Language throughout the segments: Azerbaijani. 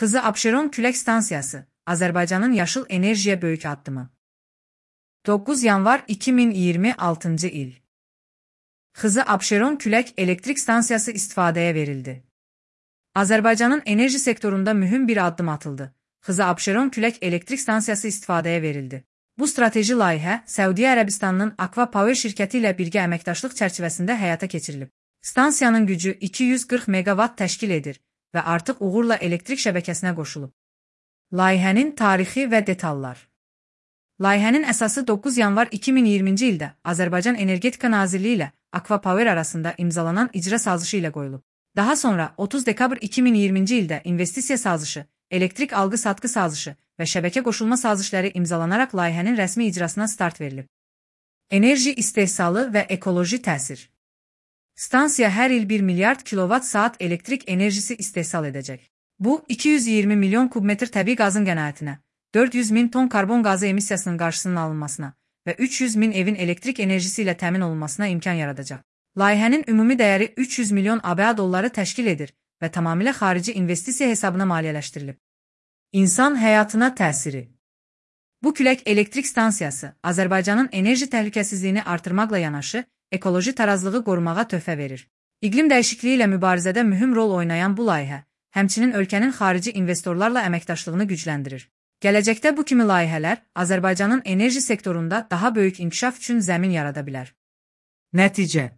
Xızı Abşeron Külək Stansiyası, Azərbaycanın yaşıl enerjiyə böyük addımı. 9 yanvar 2026 il. Xızı Abşeron Külək Elektrik Stansiyası istifadəyə verildi. Azərbaycanın enerji sektorunda mühüm bir addım atıldı. Xızı Abşeron Külək Elektrik Stansiyası istifadəyə verildi. Bu strateji layihə Səudiyyə Ərəbistanının Akva Power şirkəti ilə birgə əməkdaşlıq çərçivəsində həyata keçirilib. Stansiyanın gücü 240 megawatt təşkil edir və artıq uğurla elektrik şəbəkəsinə qoşulub. Layihənin tarixi və detallar. Layihənin əsası 9 yanvar 2020-ci ildə Azərbaycan Energetika Nazirliyi ilə Akva Power arasında imzalanan icra sazışı ilə qoyulub. Daha sonra 30 dekabr 2020-ci ildə investisiya sazışı, elektrik alqı-satqı sazışı və şəbəkə qoşulma sazişləri imzalanaraq layihənin rəsmi icrasına start verilib. Enerji istehsalı və ekoloji təsir. Stansiya hər il 1 milyard kilovat-saat elektrik enerjisi istehsal edəcək. Bu, 220 milyon kubmetr təbii qazın qənaətinə, 400 min ton karbon qazı emissiyasının qarşısının alınmasına və 300 min evin elektrik enerjisi ilə təmin olunmasına imkan yaradacaq. Layihənin ümumi dəyəri 300 milyon ABA dolları təşkil edir və tamamilə xarici investisiya hesabına maliyyələşdirilib. İnsan həyatına təsiri. Bu külək elektrik stansiyası Azərbaycanın enerji təhlükəsizliyini artırmaqla yanaşı, ekoloji tarazlığı qorumağa töhfə verir. İqlim dəyişikliyi ilə mübarizədə mühüm rol oynayan bu layihə, həmçinin ölkənin xarici investorlarla əməkdaşlığını gücləndirir. Gələcəkdə bu kimi layihələr Azərbaycanın enerji sektorunda daha böyük inkişaf üçün zəmin yarada bilər. Nəticə.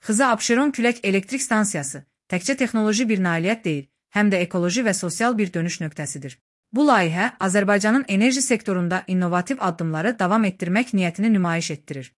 Xızı Abşeron Külək Elektrik Stansiyası təkcə texnoloji bir nailiyyət deyil, həm də ekoloji və sosial bir dönüş nöqtəsidir. Bu layihə Azərbaycanın enerji sektorunda innovativ addımları davam etdirmək niyyətini nümayiş etdirir.